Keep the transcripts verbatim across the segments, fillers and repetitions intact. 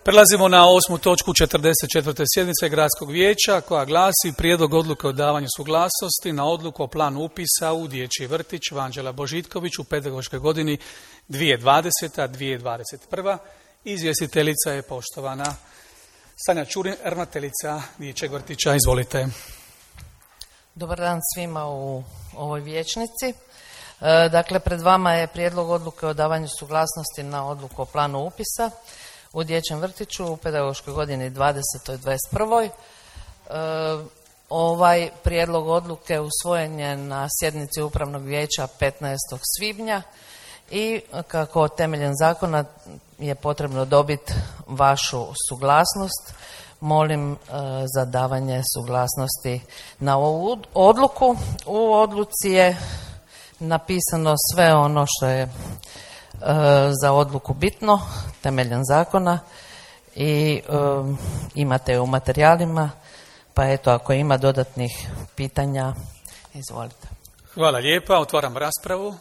Prelazimo na osmu točku četrdeset četvrte sjednice Gradskog vijeća koja glasi prijedlog odluke o davanju suglasnosti na odluku o planu upisa u dječji vrtić Vanđela Božitković u pedagoškoj godini dvije tisuće dvadeseta dvije tisuće dvadeset prva. Izvjestiteljica je poštovana Sanja Čurin, ravnateljica dječjeg vrtića. Izvolite. Dobar dan svima u ovoj vijećnici. Dakle, pred vama je prijedlog odluke o davanju suglasnosti na odluku o planu upisa u dječjem vrtiću u pedagoškoj godini dvadesetoj dvadeset prvoj. Ovaj prijedlog odluke usvojen je na sjednici Upravnog vijeća petnaestog svibnja i kako temeljem zakona je potrebno dobiti vašu suglasnost, molim za davanje suglasnosti na ovu odluku. U odluci je napisano sve ono što je za odluku bitno temeljem zakona i um, imate u materijalima, pa eto ako ima dodatnih pitanja, izvolite. Hvala lijepa, otvaram raspravu.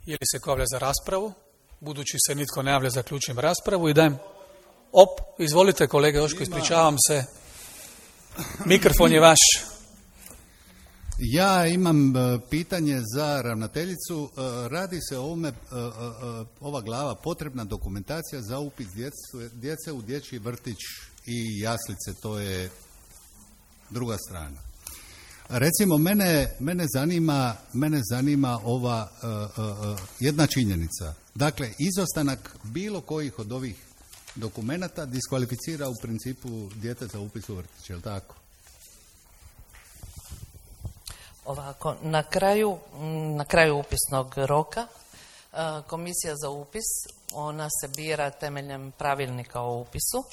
Je li se ko javlja za raspravu? Budući se nitko ne javlja, zaključujem raspravu i dajem... Op, izvolite kolega Joško, ispričavam se. Mikrofon je vaš. Ja imam pitanje za ravnateljicu. Radi se o ovome, ova glava, potrebna dokumentacija za upis djece, djece u dječji vrtić i jaslice, to je druga strana. Recimo, mene, mene, zanima, mene zanima ova uh, uh, jedna činjenica. Dakle, izostanak bilo kojih od ovih dokumenata diskvalificira u principu dijete za upis u vrtić, je li tako? Ovako, na kraju, na kraju upisnog roka komisija za upis, ona se bira temeljem pravilnika o upisu,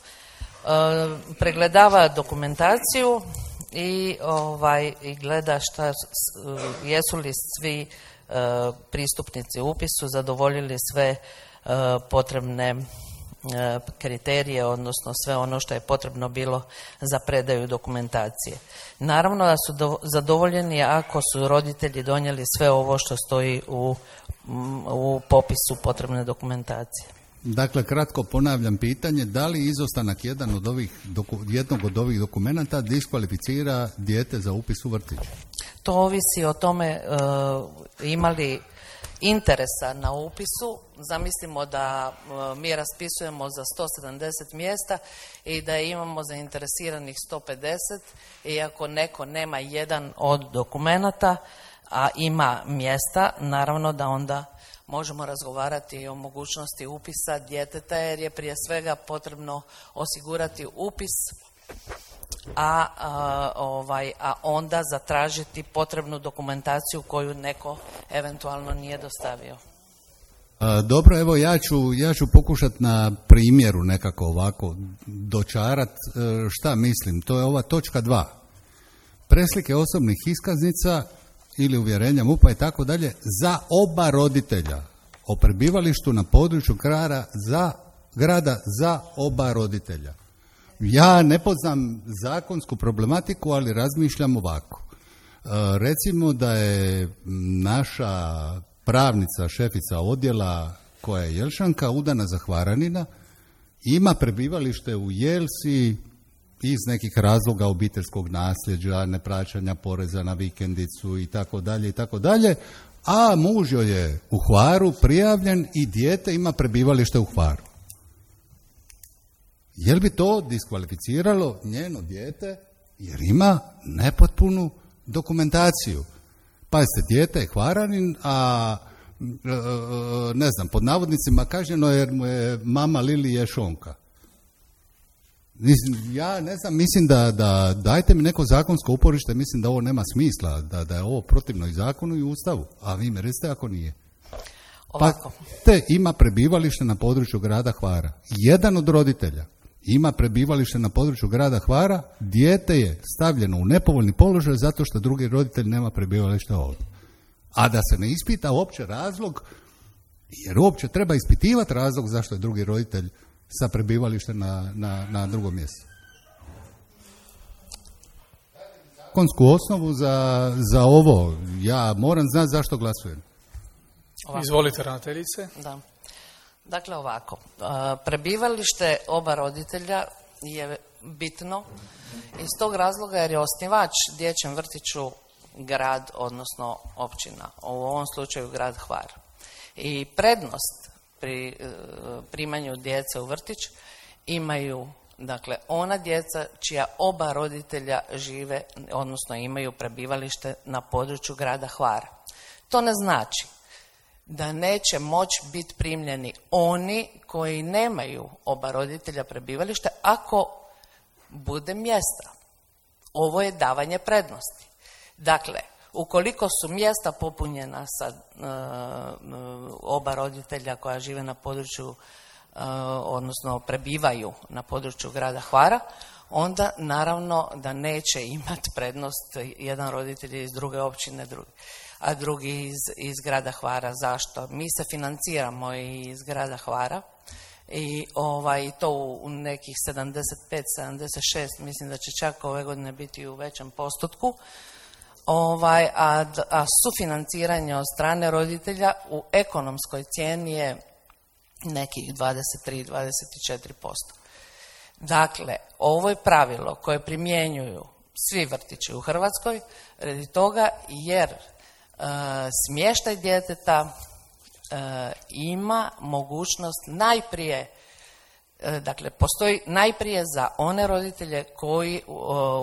pregledava dokumentaciju i ovaj i gleda šta jesu li svi pristupnici upisu zadovoljili sve potrebne kriterije, odnosno sve ono što je potrebno bilo za predaju dokumentacije. Naravno da su do, zadovoljeni ako su roditelji donijeli sve ovo što stoji u, u popisu potrebne dokumentacije. Dakle, kratko ponavljam pitanje, da li izostanak jedan od ovih, doku, jednog od ovih dokumenata diskvalificira dijete za upis u vrtić? To ovisi o tome uh, imali interesa na upisu. Zamislimo da mi raspisujemo za sto sedamdeset mjesta i da imamo zainteresiranih sto pedeset i ako neko nema jedan od dokumenata, a ima mjesta, naravno da onda možemo razgovarati o mogućnosti upisa djeteta jer je prije svega potrebno osigurati upis, a, a, ovaj, a onda zatražiti potrebnu dokumentaciju koju neko eventualno nije dostavio. A, dobro, evo ja ću, ja ću pokušati na primjeru nekako ovako dočarat šta mislim. To je ova točka dva. Preslike osobnih iskaznica ili uvjerenja MUP-a i tako dalje za oba roditelja o prebivalištu na području grada za, grada za oba roditelja. Ja ne poznam zakonsku problematiku, ali razmišljam ovako. E, recimo da je naša pravnica, šefica odjela koja je Jelšanka, udana za Hvaranina, ima prebivalište u Jelsi iz nekih razloga obiteljskog nasljeđa, neplaćanja poreza na vikendicu i tako dalje i tako dalje, a muž joj je u Hvaru prijavljen i dijete ima prebivalište u Hvaru. Je li bi to diskvalificiralo njeno dijete jer ima nepotpunu dokumentaciju? Pazite, dijete je Hvaranin, a ne znam, pod navodnicima kažnjeno jer mu je mama Lili Ješonka. Ja ne znam, mislim da, da dajte mi neko zakonsko uporište, mislim da ovo nema smisla, da, da je ovo protivno i zakonu i Ustavu, a vi mi recite ako nije. Ovako. Pa te ima prebivalište na području grada Hvara. Jedan od roditelja ima prebivalište na području grada Hvara, dijete je stavljeno u nepovoljni položaj zato što drugi roditelj nema prebivalište ovdje. A da se ne ispita uopće razlog, jer uopće treba ispitivati razlog zašto je drugi roditelj sa prebivalištem na, na, na drugom mjestu. Zakonsku osnovu za, za ovo, ja moram znati zašto glasujem. Izvolite, ravnateljice. Da. Dakle, ovako, prebivalište oba roditelja je bitno iz tog razloga jer je osnivač dječjem vrtiću grad, odnosno općina, u ovom slučaju grad Hvar. I prednost pri primanju djece u vrtić imaju, dakle, ona djeca čija oba roditelja žive, odnosno imaju prebivalište na području grada Hvara. To ne znači da neće moći biti primljeni oni koji nemaju oba roditelja prebivalište ako bude mjesta. Ovo je davanje prednosti. Dakle, ukoliko su mjesta popunjena sa uh, oba roditelja koja žive na području, uh, odnosno prebivaju na području grada Hvara, onda naravno da neće imati prednost jedan roditelj iz druge općine, drugi, a drugi iz, iz grada Hvara. Zašto? Mi se financiramo i iz grada Hvara i ovaj, to u nekih sedamdeset pet sedamdeset šest, mislim da će čak ove godine biti u većem postotku. Ovaj, a, a sufinanciranje od strane roditelja u ekonomskoj cijeni je nekih dvadeset tri do dvadeset četiri posto. Dakle, ovo je pravilo koje primjenjuju svi vrtići u Hrvatskoj radi toga jer e, smještaj djeteta e, ima mogućnost najprije, e, dakle, postoji najprije za one roditelje koji u,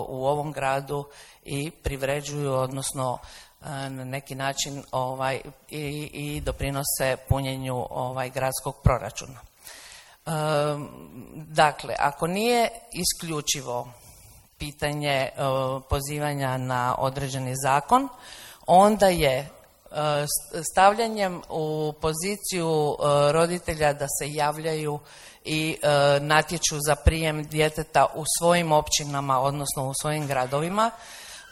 u ovom gradu i privređuju, odnosno na neki način ovaj, i, i doprinose punjenju ovaj, gradskog proračuna. E, dakle, ako nije isključivo pitanje e, pozivanja na određeni zakon, onda je e, stavljanjem u poziciju e, roditelja da se javljaju i e, natječu za prijem djeteta u svojim općinama, odnosno u svojim gradovima,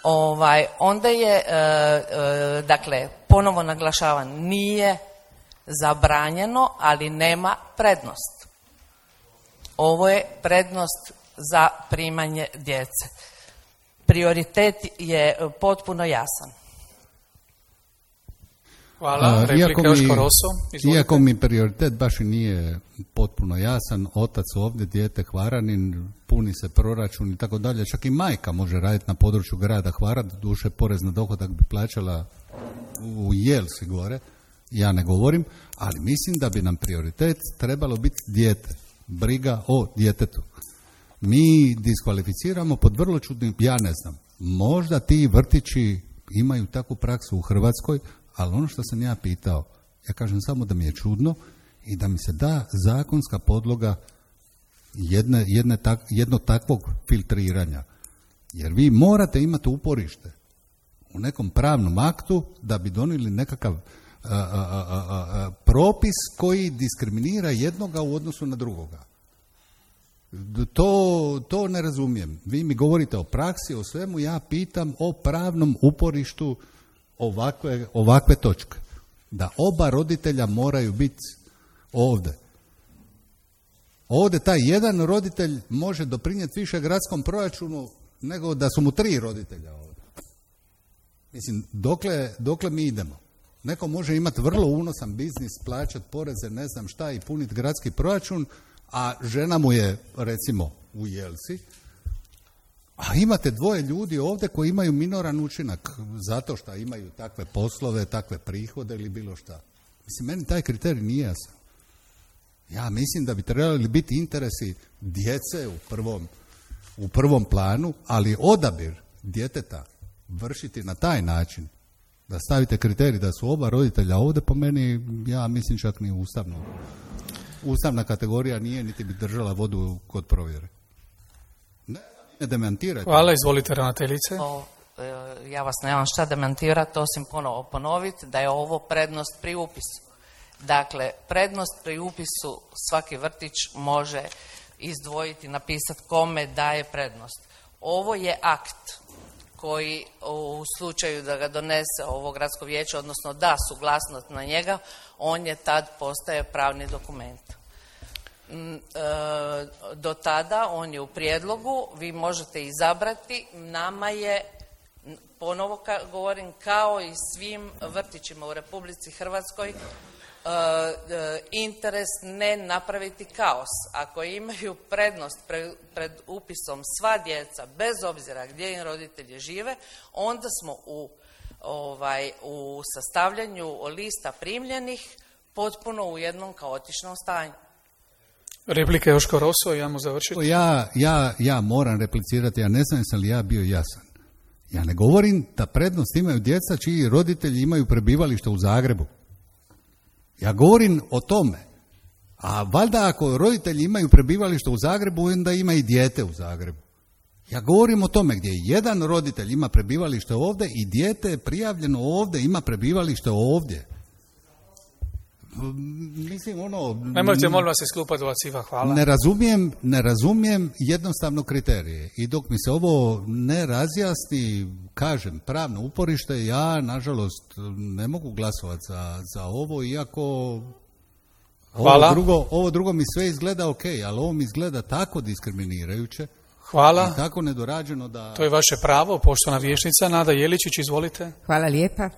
Ovaj, onda je, e, e, dakle, ponovo naglašavam, nije zabranjeno, ali nema prednost. Ovo je prednost za primanje djece. Prioritet je potpuno jasan. Hvala. Replika Joško Roso. Izvolite. Iako mi prioritet baš i nije potpuno jasan, otac ovdje, dijete Hvaranin, puni se proračun i tako dalje, čak i majka može raditi na području grada Hvara, doduše porez na dohodak bi plaćala u Jelsi gore, ja ne govorim, ali mislim da bi nam prioritet trebalo biti dijete, briga o djetetu. Mi diskvalificiramo pod vrlo čudnim, ja ne znam, možda ti vrtići imaju takvu praksu u Hrvatskoj, ali ono što sam ja pitao, ja kažem samo da mi je čudno i da mi se da zakonska podloga jedne, jedne tak, jednog takvog filtriranja. Jer vi morate imati uporište u nekom pravnom aktu da bi donijeli nekakav a, a, a, a, propis koji diskriminira jednoga u odnosu na drugoga. To, to ne razumijem. Vi mi govorite o praksi, o svemu, ja pitam o pravnom uporištu ovakve, ovakve točke. Da oba roditelja moraju biti ovdje. Ovdje taj jedan roditelj može doprinijeti više gradskom proračunu nego da su mu tri roditelja ovdje. Mislim, dokle, dokle mi idemo? Neko može imati vrlo unosan biznis, plaćati poreze, ne znam šta i puniti gradski proračun, a žena mu je, recimo, u Jelsi, a imate dvoje ljudi ovdje koji imaju minoran učinak zato što imaju takve poslove, takve prihode ili bilo šta. Mislim, meni taj kriterij nije jasan. Ja mislim da bi trebali biti interesi djece u prvom, u prvom planu, ali odabir djeteta vršiti na taj način, da stavite kriterij da su oba roditelja ovdje, po meni, ja mislim čak ni ustavno. Ustavna kategorija nije, niti bi držala vodu kod provjere. Ne, ne demantirajte. Hvala, izvolite ravnateljice. O, ja vas nemam šta demantirati, osim ponovo ponoviti da je ovo prednost pri upisu. Dakle, prednost pri upisu svaki vrtić može izdvojiti, napisati kome daje prednost. Ovo je akt koji u slučaju da ga donese ovo gradsko vijeće, odnosno da suglasnost na njega, on je tad postaje pravni dokument. Do tada on je u prijedlogu, vi možete izabrati, nama je, ponovo govorim, kao i svim vrtićima u Republici Hrvatskoj, interes ne napraviti kaos. Ako imaju prednost pred, pred upisom sva djeca, bez obzira gdje im roditelji žive, onda smo u, ovaj, u sastavljanju lista primljenih potpuno u jednom kaotičnom stanju. Replike Joško Roso, ja mu završiti. Ja, ja, ja moram replicirati, ja ne znam jesam li ja bio jasan. Ja ne govorim da prednost imaju djeca čiji roditelji imaju prebivalište u Zagrebu. Ja govorim o tome. A valjda ako roditelji imaju prebivalište u Zagrebu, onda ima i dijete u Zagrebu. Ja govorim o tome gdje jedan roditelj ima prebivalište ovdje i dijete je prijavljeno ovdje, ima prebivalište ovdje. Mislim, ono... Nemojte, molim vas, isklupa dovaciva, hvala. Ne razumijem, ne razumijem jednostavno kriterije. I dok mi se ovo ne razjasni, kažem, pravno uporište, ja, nažalost, ne mogu glasovati za, za ovo, iako hvala. Ovo drugo, ovo drugo mi sve izgleda ok, ali ovo mi izgleda tako diskriminirajuće. Hvala. I tako nedorađeno da... To je vaše pravo, poštovana vijećnica. Nada Jeličić, izvolite. Hvala lijepa.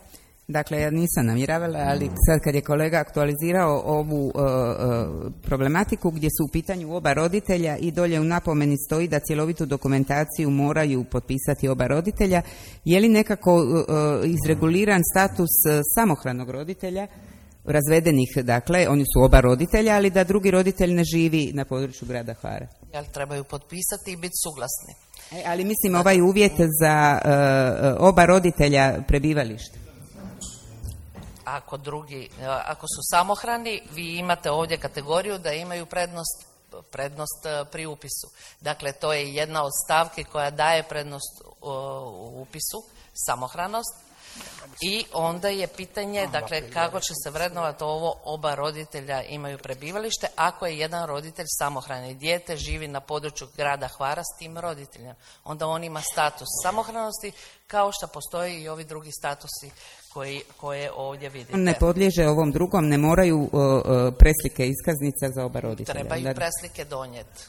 Dakle, ja nisam namjeravala, ali sad kad je kolega aktualizirao ovu uh, uh, problematiku gdje su u pitanju oba roditelja i dolje u napomeni stoji da cjelovitu dokumentaciju moraju potpisati oba roditelja, je li nekako uh, izreguliran status uh, samohranog roditelja, razvedenih, dakle, oni su oba roditelja, ali da drugi roditelj ne živi na području grada Hvara? Jel trebaju potpisati i biti suglasni? E, ali mislim ovaj uvjet za uh, oba roditelja prebivalište. Ako drugi, ako su samohrani, vi imate ovdje kategoriju da imaju prednost, prednost pri upisu. Dakle, to je jedna od stavki koja daje prednost u upisu, samohranost. I onda je pitanje, dakle, kako će se vrednovati ovo, oba roditelja imaju prebivalište, ako je jedan roditelj samohrani, dijete živi na području grada Hvara s tim roditeljem. Onda on ima status samohranosti, kao što postoji i ovi drugi statusi koji, koje ovdje vidite. Ne podliježe ovom drugom, ne moraju uh, preslike iskaznica za oba roditelja. Trebaju da... preslike donijeti.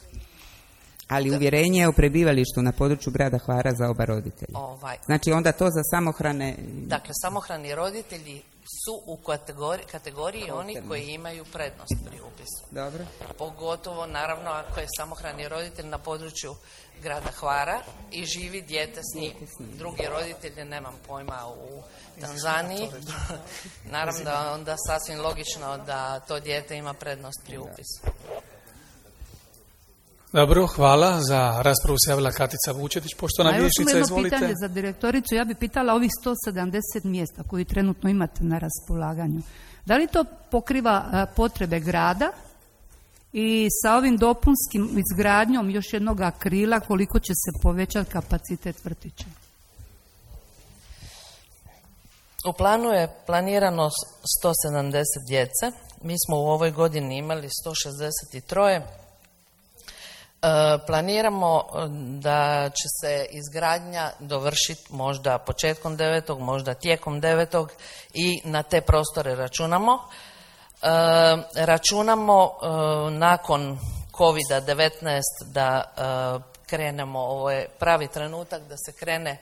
Ali uvjerenje o prebivalištu na području grada Hvara za oba roditelja. Ovaj. Znači onda to za samohrane... Dakle, samohrani roditelji su u kategoriji, kategoriji oni koji imaju prednost pri upisu. Dobro. Pogotovo, naravno, ako je samohrani roditelj na području grada Hvara i živi dijete s njim. Drugi roditelji, nemam pojma, u Tanzaniji. Naravno da onda sasvim logično da to dijete ima prednost pri upisu. Dobro, hvala. Za raspravu se javila Katica Vučetić, poštovana vijećnica, izvolite. Pitanje za direktoricu. Ja bih pitala ovih sto sedamdeset mjesta koji trenutno imate na raspolaganju. Da li to pokriva potrebe grada i sa ovim dopunskim izgradnjom još jednog krila koliko će se povećati kapacitet vrtića? U planu je planirano sto sedamdeset djece. Mi smo u ovoj godini imali sto šezdeset tri. E, planiramo da će se izgradnja dovršiti možda početkom devetog, možda tijekom devetog i na te prostore računamo. E, računamo e, nakon kovida devetnaest da e, krenemo, ovo je pravi trenutak da se krene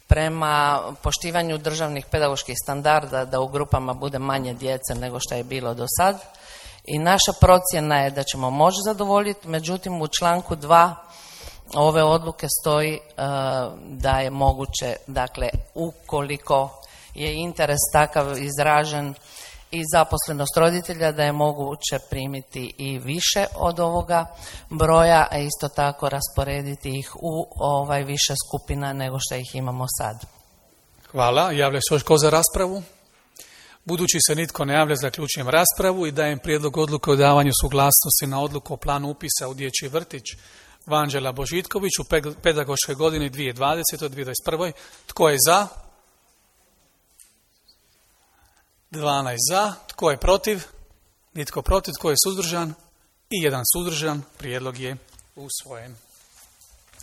prema poštivanju državnih pedagoških standarda, da u grupama bude manje djece nego što je bilo do sad. I naša procjena je da ćemo moći zadovoljiti, međutim u članku dva ove odluke stoji uh, da je moguće, dakle, ukoliko je interes takav izražen i zaposlenost roditelja, da je moguće primiti i više od ovoga broja, a isto tako rasporediti ih u ovaj više skupina nego što ih imamo sad. Hvala. Javlja se još ko za raspravu? Budući se nitko ne javlja, zaključujem raspravu i dajem prijedlog odluke o davanju suglasnosti na odluku o planu upisa u dječji vrtić Vanđela Božitković u pedagoškoj godini dvije tisuće dvadesete. dvije tisuće dvadeset prve. Tko je za? dvanaest za. Tko je protiv? Nitko protiv. Tko je suzdržan? I jedan suzdržan. Prijedlog je usvojen.